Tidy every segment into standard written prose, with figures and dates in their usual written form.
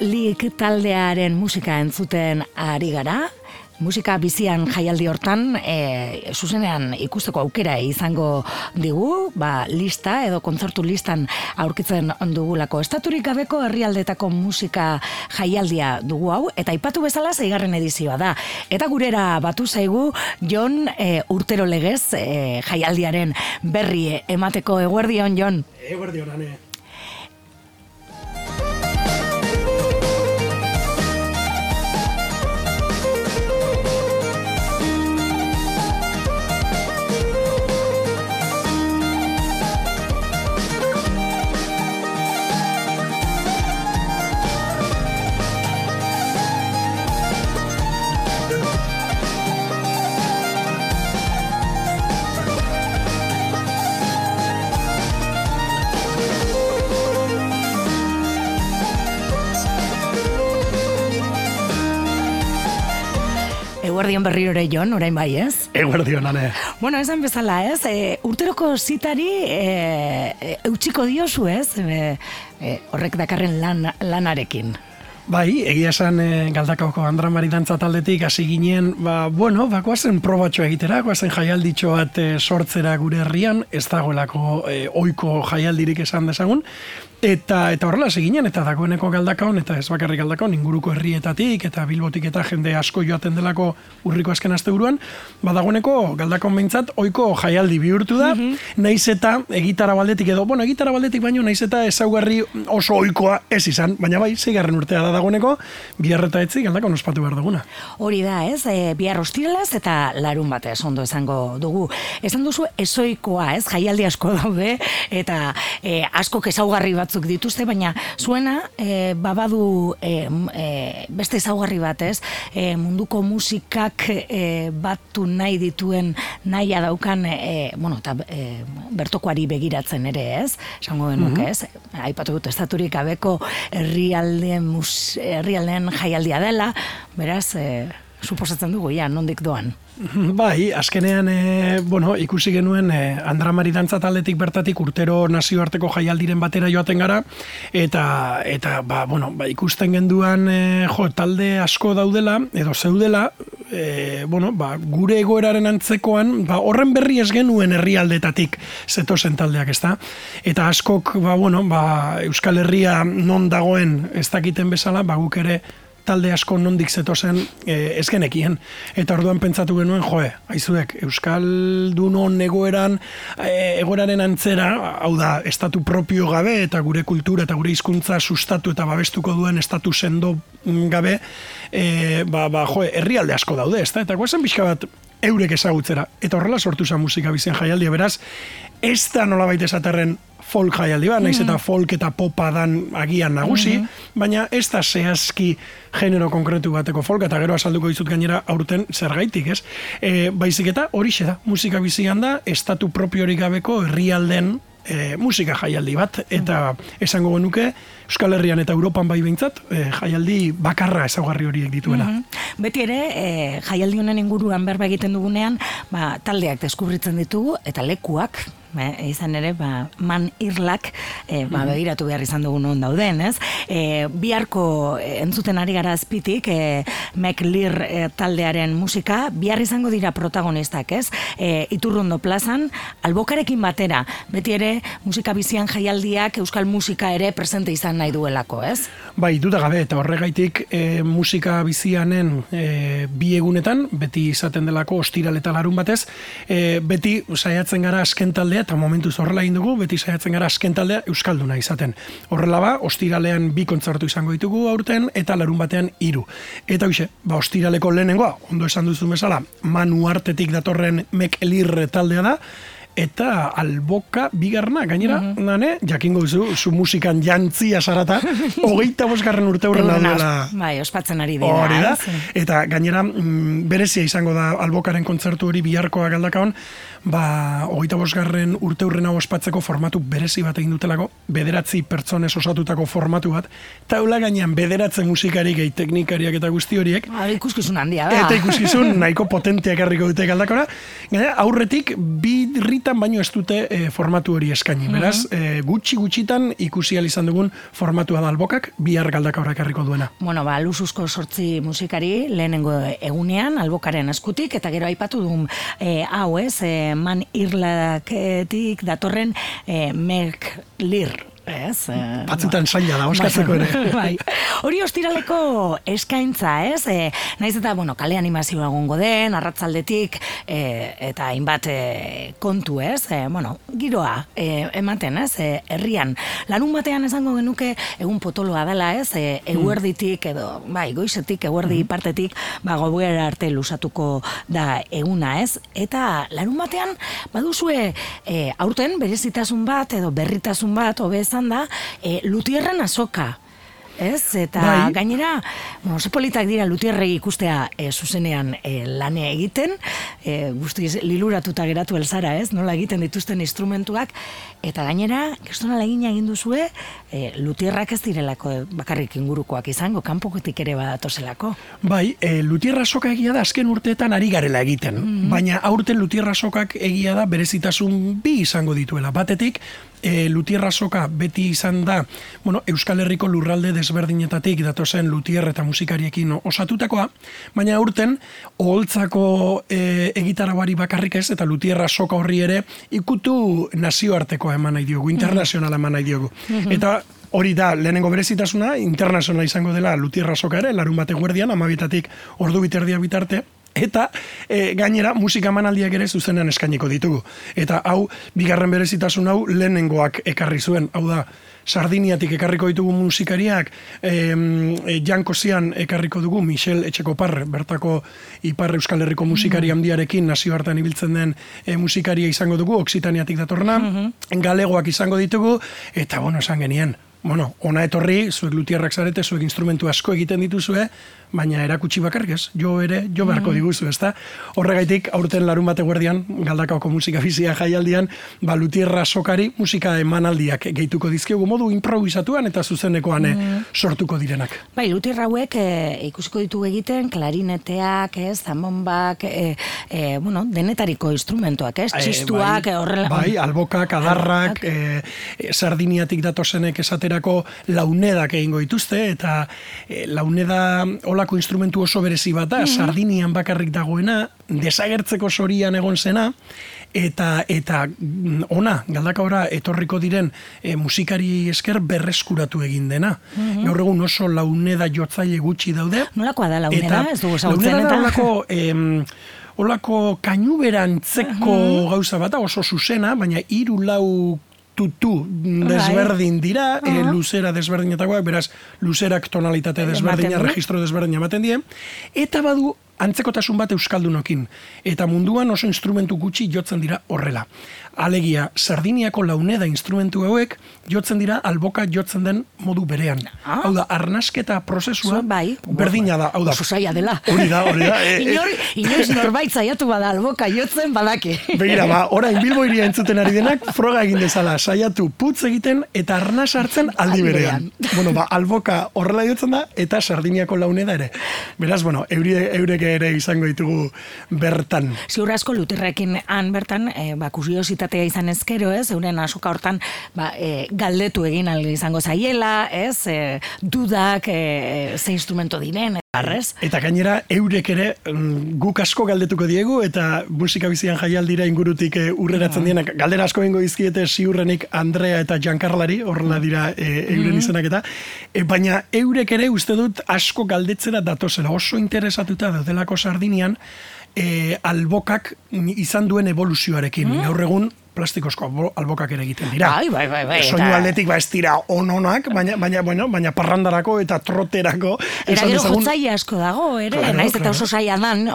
League taldearen musika entzuten ari gara. Musika bizian jaialdi hortan, zuzenean ikusteko aukera izango digu, lista edo kontzertu listan aurkitzen dugulako. Estaturik gabeko herrialdetako musika jaialdia dugu hau, eta aipatu bezala 6. edizioa da. Eta gurera batu zaigu Jon urtero legez jaialdiaren berri emateko. Eguerdion, Jon. Eguerdion, Ane. Eguerdion berriro ere, Jon, orain bai, ez? Eguerdion, Ane. Bueno, esan bezala, ez? Urteroko zitari eutxiko diozu, ez? Horrek dakarren lanarekin. Bai, egia esan Galdakaoko Andra Mari dantza taldetik hasi ginen, goazen probatxo egitera, goazen jaialditxo bat sortzera gure herrian, ez dagoelako ohiko jaialdirik esan dezagun, eta horrela hasi ginen, eta dagoeneko Galdakaon, eta ez bakarrik Galdakaon, inguruko herrietatik, eta Bilbotik eta jende asko joaten delako urriko azken asteburuan, dagoeneko Galdakaon behintzat ohiko jaialdi bihurtu da, naiz eta egitara baldetik edo, egitara baldetik baino, naiz eta ezaugarri oso ohikoa ez izan, baina bai, 6. urtea da dagoeneko, bihar eta etzi Galdakaon ospatu behar duguna. Hori da, ez? Bihar ostiralaz eta larun batez ondo esango dugu. Esan duzu ezoikoa, ez? Jaialdi asko daude, eta askok ezaugarri batzuk dituzte, baina zuena babadu beste ezaugarri bat, ez? Munduko musikak batu nahi dituen nahia daukan, eta bertokoari begiratzen ere, ez? Esango genuke, ez? Aipatu dut estaturik gabeko herrialdeen jaialdia dela, beraz, suposatzen dugu, nondik doan. Bai, azkenean, ikusi genuen Andra Mari dantza taldetik bertatik urtero nazioarteko jaialdiren batera joaten gara, eta ikusten genduan talde asko daudela, edo zeudela, gure egoeraren antzekoan, horren berri ez genuen herrialdetatik zetozen taldeak, ezta? Eta askok, Euskal Herria non dagoen ez dakiten bezala, guk ere talde asko nondik zetozen ez genekien. Eta orduan pentsatu genuen, aizuek, Euskaldunon egoeraren antzera, hau da, estatu propio gabe, eta gure kultura eta gure hizkuntza sustatu eta babestuko duen estatu sendo gabe, herrialde asko daude, ezta? Eta guazen pixka bat eurek ezagutzera. Eta horrela sortu zen musika bizien jaialdia, beraz, ez da nolabait esaterren folk jaialdi bat, naiz eta folk eta popa dan agian nagusi, baina ez da zehazki genero konkretu bateko folk, eta gero azalduko dizut gainera aurten zergaitik, ez? Baizik eta horixe da, musika bizian da, estatu propiorik gabeko herrialden musika jaialdi bat, eta esango genuke Euskal Herrian eta Europan bai behintzat, jaialdi bakarra ezaugarri horiek dituela. Beti ere, jaialdi honen inguruan berba egiten dugunean, taldeak deskubritzen ditugu, eta lekuak, izan ere, man irlak begiratu behar izan dugu non dauden, ez? Biharko entzuten ari gara azpitik, McLear taldearen musika, bihar izango dira protagonistak, ez? Iturrondo plazan, albokarekin batera, beti ere, musika bizian jaialdiak euskal musika ere presente izan nahi duelako, ez? Bai, duda gabe, eta horregaitik musika bizianen bi egunetan, beti izaten delako ostiral eta larun batez, beti saiatzen gara azken taldea, eta momentuz horrela egin dugu, beti saiatzen gara azken taldea euskalduna izaten. Horrela ostiralean 2 kontzertu izango ditugu aurten, eta larun batean 3. Eta hoxe, ostiraleko lehenengoa, ondo esan duzu bezala, Manu Artetik datorren McLear taldea da, eta alboka bigarna, gainera, jakingo duzu, zu musikan jantzia sarata, 25. urte hurrena duela. Bai, ospatzen ari dira. Hori da, eta gainera, berezia izango da albokaren kontzertu hori biharkoa Galdakaon, 25. urte hurrena ospatzeko formatu berezi bat egin dutelako, 9 pertsonez osatutako formatu bat, taula gainean 9 musikari gehi teknikariak eta guzti horiek. Ikuskizun handia da. Eta ikuskizun nahiko potenteak harriko dute Galdakora. Gainera, aurretik 2 gehienetan baino ez dute formatu hori eskaini. Beraz, gutxitan ikusi ahal izan dugun formatua da Albokak, bihar Galdakaorra ekarriko duena. Bueno, Luzuzko 8 musikari lehenengo egunean Albokaren eskutik, eta gero aipatu dugun hau ez, Man Irlaketik datorren Meg Lir. Ez, batzutan zaila da, oskatzeko ere. Bai. Hori ostiraleko eskaintza, ez? Naiz eta, kale animazioa egongo den, arratzaldetik, eta hainbat kontu, ez? Giroa ematen, ez? Herrian. Larun batean esango genuke egun potoloa dela, ez? Eguerditik, edo, goizetik, eguerdi partetik, gauera arte lusatuko da eguna, ez? Eta larun batean, baduzue aurten berezitasun bat, edo berritasun bat, obez da, Lutierren azoka. Ez? Eta gainera, oso politak dira Lutierrei ikustea zuzenean lane egiten, guztiz liluratuta geratu elzara, ez? Nola egiten dituzten instrumentuak, eta gainera, gestonala egin duzue, Lutierrak ez direlako bakarrik ingurukoak izango, kanpokotik ere badatozelako. Bai, Lutierra soka egia da azken urteetan ari garela egiten, baina aurten Lutierra sokak egia da berezitasun bi izango dituela. Batetik, Lutierra soka beti izan da, Euskal Herriko lurralde desberdinetatik datozen Lutier eta musikariekin osatutakoa, baina aurten oholtzako egitarauari bakarrik ez, eta Lutierra soka horri ere ikutu nazioartekoa eman nahi diogu, internazionala eman nahi diogu. Eta hori da, lehenengo berezitasuna, internazionala izango dela Lutierra soka ere, larun bate guerdian, 12:00 ordu biterdia bitarte, eta gainera musika emanaldiak ere zuzenean eskainiko ditugu. Eta hau, bigarren berezitasun hau lehenengoak ekarri zuen, hau da, Sardiniatik ekarriko ditugu musikariak, Jankosian ekarriko dugu Michel Etxekopar, bertako Ipar Euskal Herriko musikari handiarekin nazioartean ibiltzen den musikaria izango dugu, Oksitaniatik datorna, galegoak izango ditugu, eta esan genien, ona etorri, zuek Lutierrak zarete, zuek instrumentu asko egiten dituzue, baina erakutsi bakarrik ez, jo beharko diguzu, ezta? Horregaitik, aurten larun bate guerdian, Galdakaoko musika bizia jaialdian, Lutierra sokari musika emanaldiak gehituko dizkiogu modu improvisatuan eta zuzenekoan sortuko direnak. Bai, Lutierra hauek ikusiko ditugu egiten, klarineteak, zanbonbak, denetariko instrumentuak, txistuak, horrela. Bai, albokak, adarrak, Sardiniatik datozenek esaterako launedak egingo dituzte, eta launeda olako instrumentu oso berezi bat da, Sardinian bakarrik dagoena, desagertzeko sorian egon zena, eta ona, Galdakaora etorriko diren musikari esker berreskuratu egin dena. Gaur egun oso launeda jotzaile gutxi daude. Nolakoa da launeda? Ez dugu zautzen eta? Launeda da olako kainuberantzeko gauza bat, oso zuzena, baina 3-4 tutu desberdin dira, luzera desberdinetakoak, beraz, luzerak tonalitate desberdina, registro desberdina ematen die, eta badu antzekotasun bat euskaldunokin, eta munduan oso instrumentu gutxi jotzen dira horrela. Alegia, Sardiniako launeda instrumentu hauek jotzen dira alboka jotzen den modu berean. Hau da, arnasketa prozesua berdina da. Oso zaila dela. Hori da. Inoiz norbait zaiatu bada alboka jotzen badaki. Begira, orain Bilbo hiria entzuten ari denak, froga egin dezala, saiatu putz egiten eta arnas hartzen aldi berean. Alboka horrela jotzen da, eta Sardiniako launeda ere. Beraz, eurek ere izango ditugu bertan. Ziur asko Lutierrekin han bertan, kuriositatea izan ezkero, ez, euren asoka hortan galdetu egin izango zaiela, ez, dudak, ze instrumento diren, arrez. Eta gainera, eurek ere guk asko galdetuko diegu, eta musika bizian jaialdira ingurutik urreratzen dienak, galdera asko egingo izkiete ziurrenik Andrea eta Giancarlari, horrela dira euren izenak eta, baina eurek ere uste dut asko galdetzera datozela, oso interesatuta daudelako Sardinian, albokak izan duen evoluzioarekin. Gaur egun plastikozko albokak ere egiten dira. Bai. Soinu aldetik ez dira ononak, baina parrandarako eta troterako. Eta gero jotzaile asko dago, ere, naiz eta oso zaila dan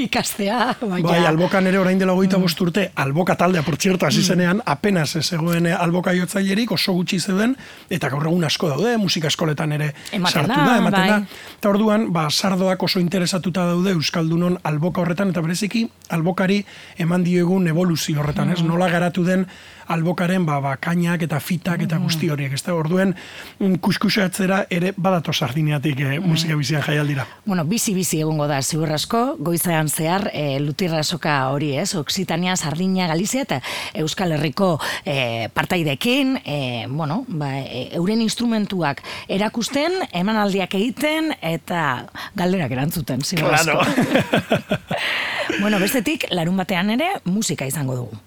ikastea. Bai, albokan ere orain dela 25 urte, alboka taldea, por cierto, hasi zenean, apenas zegoen alboka jotzailerik, oso gutxi zeuden, eta gaur egun asko daude, musika eskoletan ere sartu da, ematen da. Eta orduan, sardoak oso interesatuta daude Euskaldunon alboka horretan, eta bereziki, albokari eman diegun evoluzio horretan, ez? Nola nola garatu den albokaren kainak eta fitak eta guzti horiek, ez da, orduen kuskusatzera ere badato Sardineatik musika bizian jaialdira. Bueno, bizi egongo da, ziur asko, goizean zehar lutirra soka hori, ez, Oksitania, Sardinia, Galizia eta Euskal Herriko partaidekin, euren instrumentuak erakusten, emanaldiak egiten eta galderak erantzuten, ziur asko. Bueno, bestetik, larun batean ere musika izango dugu.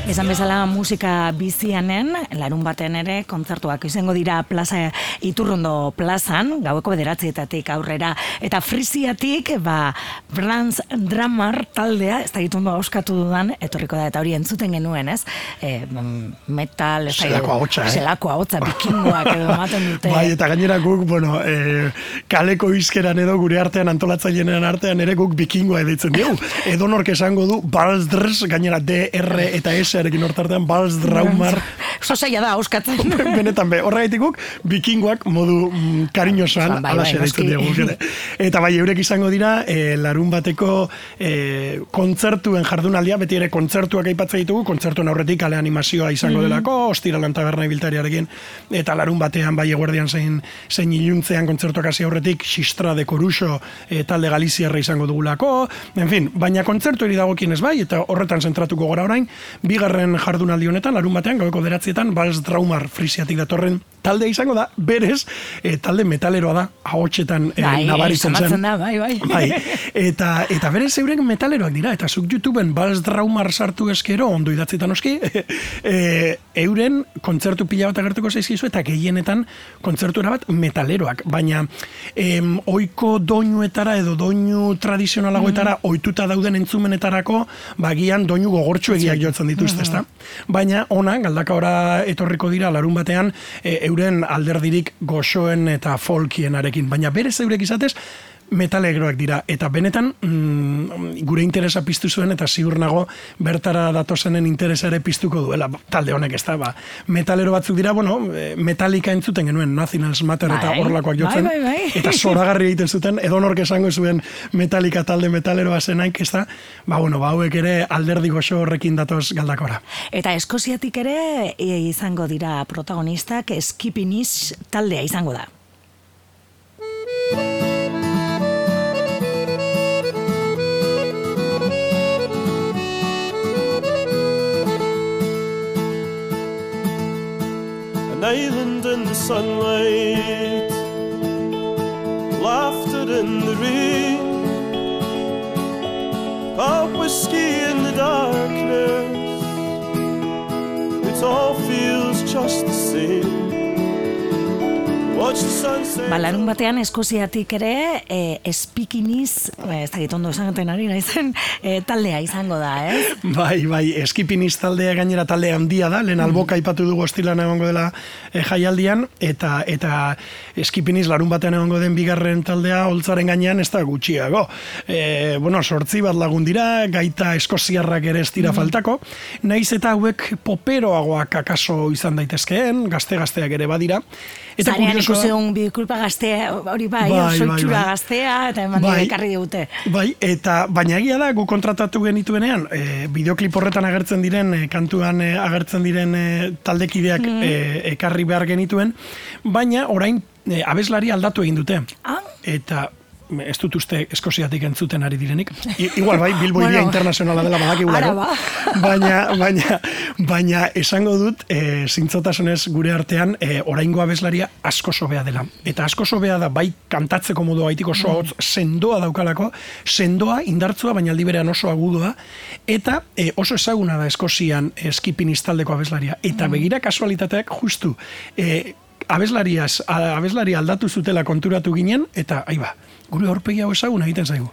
Esan bezala musika bizianen, larun baten ere kontzertuak izango dira plaza Iturrondo plazan, gaueko 9:00 aurrera, eta Frisiatik, Franz Drummer taldea, ez da gitundo auskatu dudan, etorriko da, eta hori entzuten genuen, ez? Metal, zelako ahotsa, bikingoak edo ematen dute. Bai, eta gainera guk, kaleko izkeran edo gure artean, antolatzailean artean ere guk bikingoa edaitzen dugu. Edo nork esango du, Balzdrs, gainera D, R eta S arekin hortartean, Balzdraumar. Sosaia da, auskatzen. Benetan horregaitik guk, bikingoak modu kariñosoan alaxe daitzen dugu. Eta bai, eurek izango dira, larun bateko kontzertuen jardunaldia, beti ere kontzertuak aipatzen ditugu, kontzertuen aurretik kale animazioa izango delako, Ostiralan taberna ibiltariarekin, eta larun batean bai eguerdian zein iluntzean kontzertuak hasi aurretik, Xistra de Coruxo talde galiziarra izango dugulako, en fin, baina kontzertu eri dagokienez bai, eta horretan zentratuko gora orain, bigarren jardunaldi honetan, larun batean, gaueko 9:00 Balzdraumar Frisiatik datorren talde izango da, berez, talde metaleroa da, ahotsetan nabaritzen zen. Bai. Eta berez euren metaleroak dira, eta zuk YouTubeen Balzdraumar sartu eskero, ondo idatzetan oski, euren kontzertu pila bat agertuko zaizkizu, eta gehienetan kontzertu erabat metaleroak, baina oiko doinuetara edo doinu tradizionalagoetara ohituta dauden entzumenetarako, bagian doinu gogortxuegiak jotzen dituzte, ezta? Baina ona, galdakaora etorriko dira larun batean, euren alderdirik goxoen eta folkienarekin, baina berez eurek izatez, metalegroak dira, eta benetan gure interesa piztu zuen, eta ziur nago bertara datozenen interesa ere piztuko duela, talde honek ez da, metalero batzuk dira, Metallica entzuten genuen, Nationals Matter eta horrelakoak jotzen, eta zoragarri egiten zuten, edonork esango zuen Metallica talde metaleroa zenaik, ez da, hauek ere alderdi goxo horrekin datoz galdakora. Eta Eskoziatik ere izango dira protagonistak, Skipinis taldea izango da. An island in the sunlight, laughter in the rain, pub whiskey in the darkness, it all feels just the same. Larun batean Eskoziatik ere Skipinis, ez da gitondo esangaten ari naizen, taldea izango da, ez? Bai, Skipinis taldea gainera talde handia da, lehen alboka aipatu dugu Ostiralean egongo dela jaialdian, eta Skipinis larun batean egongo den bigarren taldea holtzaren gainean ez da gutxiago. 8 bat lagun dira, gaita eskoziarrak ere ez dira faltako, naiz eta hauek poperoagoak akaso izan daitezkeen, gazteak ere badira. Zarean ikuseun bikulpa gaztea, hori soitxura gaztea, eta eman ekarri digute. Baina egia da, gu kontratatu genituenean, bideoklip horretan agertzen diren, kantuan agertzen diren taldekideak ekarri behar genituen, baina orain abeslari aldatu egin dute. Eta ez dut uste Eskoziatik entzuten ari direnik. Igual bai, Bilbo iria internazionala dela badakigulako. Baina esango dut, zintzotasunez gure artean, oraingo abeslaria asko sobea dela. Eta asko sobea da, bai kantatzeko modu baitiko oso sendoa daukalako, sendoa, indartzua, baina aldi berean oso agudoa, eta oso ezaguna da Eskozian Skipping taldeko abeslaria. Eta begira kasualitateak justu, abeslaria aldatu zutela konturatu ginen, eta gure aurpegi hau ezaguna egiten zaigu.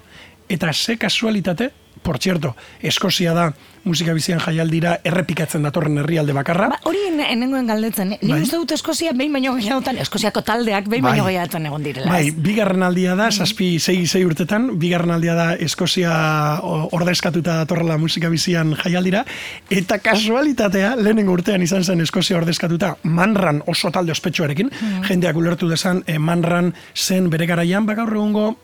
Eta ze kasualitate, por cierto, Eskozia da musika bizian jaialdira errepikatzen datorren herrialde bakarra. Hori nengoen galdetzen, ni uste dut Eskozia behin baino gehiagotan, Eskoziako taldeak behin baino gehiagotan egon direla. Bai, bigarren aldia da, 6 urtetan, bigarren aldia da Eskozia ordezkatuta datorrela musika bizian jaialdira, eta kasualitatea, lehenengo urtean izan zen Eskozia ordezkatuta, Manran oso talde ospetsuarekin, jendeak ulertu dezan, Manran zen bere garaian, gaur egungo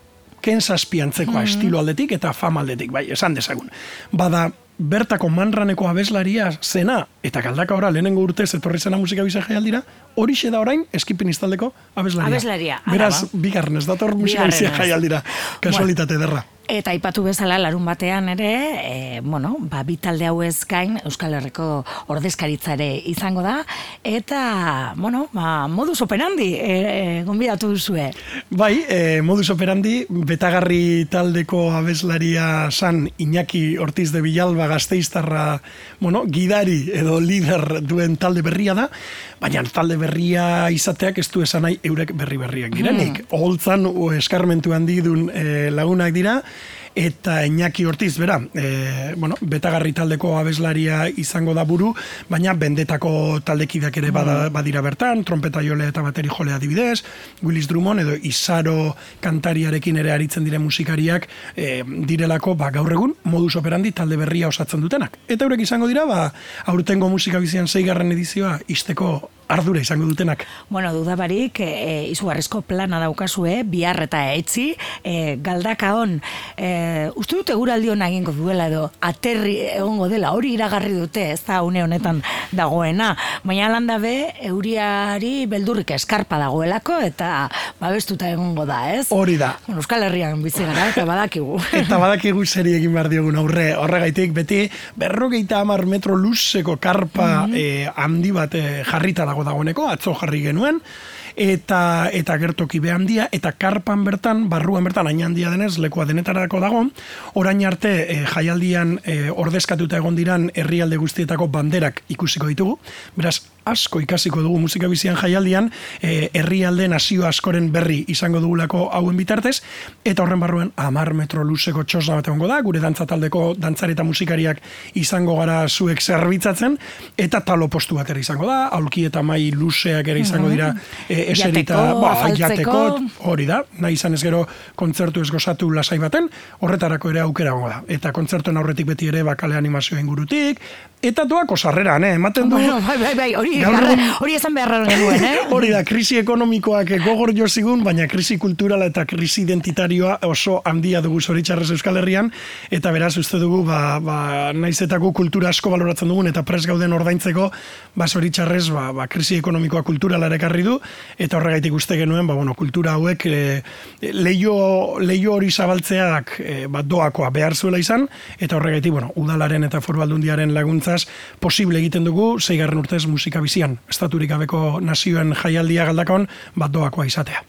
Ken Zazpiantzekoa estilo aldetik eta fama aldetik, bai, esan dezagun. Bada, bertako Manraneko abeslaria zena, eta Galdaka ora lehenengo urtez etorri zena musika bizia jaialdira, horixe da orain Skipping taldeko abeslaria. Beraz, bigarren ez dator musika bizia jaialdira, kasualitate derra. Eta aipatu bezala larun batean ere, bi talde hauez gain Euskal Herriko ordezkaritzare izango da, eta, modus operandi gonbidatu duzue. Bai, modus operandi, Betagarri taldeko abeslaria san Iñaki Ortiz de Villalba Gasteiztarra, gidari edo lider duen talde berria da, baina talde berria izateak ez du esan nahi eurek berriak direnik. Oholtzan eskarmentu handi duen lagunak dira, eta Iñaki Ortiz, Betagarri taldeko abeslaria izango da buru, baina Bendetako taldekideak ere badira bertan, trompeta jolea eta bateri jolea adibidez, Willis Drummond edo Isaro kantariarekin ere aritzen dire musikariak direlako gaur egun modus operandi talde berria osatzen dutenak. Eta eurek izango dira, aurtengo musika bizian 6. edizioa izteko ardura izango dutenak. Dudabarik, izugarrizko plana daukazue, bihar eta etzi, Galdakaon, uste dute eguraldi hona egingo duela edo, aterri egongo dela, hori iragarri dute, ez da une honetan dagoena, baina landabe, euriari beldurrik eskarpa dagoelako, eta babestuta egongo da, ez? Hori da. Euskal Herrian bizi gara, eta badakigu. Eta badakigu zeri egin behar diogun horregaitik, beti 50 metro luzeko karpa handi bat jarrita dagoeneko, atzo jarri genuen, eta gertoki behandia, eta karpan bertan, barruan bertan, hain handia denez, lekua denetarako dago, orain arte jaialdian ordezkatuta egon diran herrialde guztietako banderak ikusiko ditugu, beraz, asko ikasiko dugu musika bizian jaialdian, herrialde nazio askoren berri izango dugulako hauen bitartez, eta horren barruan 10 metro luzeko txosna bat egongo da, gure dantza taldeko dantzari eta musikariak izango gara zuek zerbitzatzen, eta talo postu bat ere izango da, aulki eta mai luzeak ere izango dira eserita, jateko, hori da, nahi izan ez gero kontzertu ez gozatu lasai baten, horretarako ere aukera gongo da. Eta kontzertuen aurretik beti ere kale animazio ingurutik, eta doako sarreran, ematen du... Hori esan beharra genuen, Hori da, krisi ekonomikoak gogor jo zigun, baina krisi kulturala eta krisi identitarioa oso handia dugu zoritxarrez Euskal Herrian, eta beraz uste dugu, naizetako kultura asko baloratzen dugun, eta pres gauden ordaintzeko, zoritxarrez, krisi ekonomikoa kulturala ekarri du, eta horregaitik uste genuen, kultura hauek leio hori zabaltzeak doakoa behar zuela izan, eta horregaitik, udalaren eta Foru Aldundiaren laguntzaz posible egiten dugu, 6. urtez musika bizian, estaturik gabeko nazioen jaialdia Galdakaon, doakoa izatea.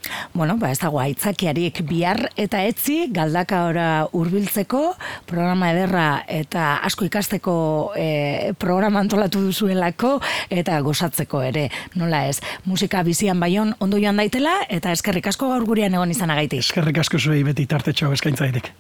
Ez dago aitzakiarik bihar eta etzi, Galdakaora hurbiltzeko, programa ederra eta asko ikasteko programa antolatu duzuelako, eta gozatzeko ere, nola ez, musika bizian Baion ondo joan daitela, eta eskerrik asko gaur gurean egon izanagaitik. Eskerrik asko zuei beti tartetxo eskaintzaitek.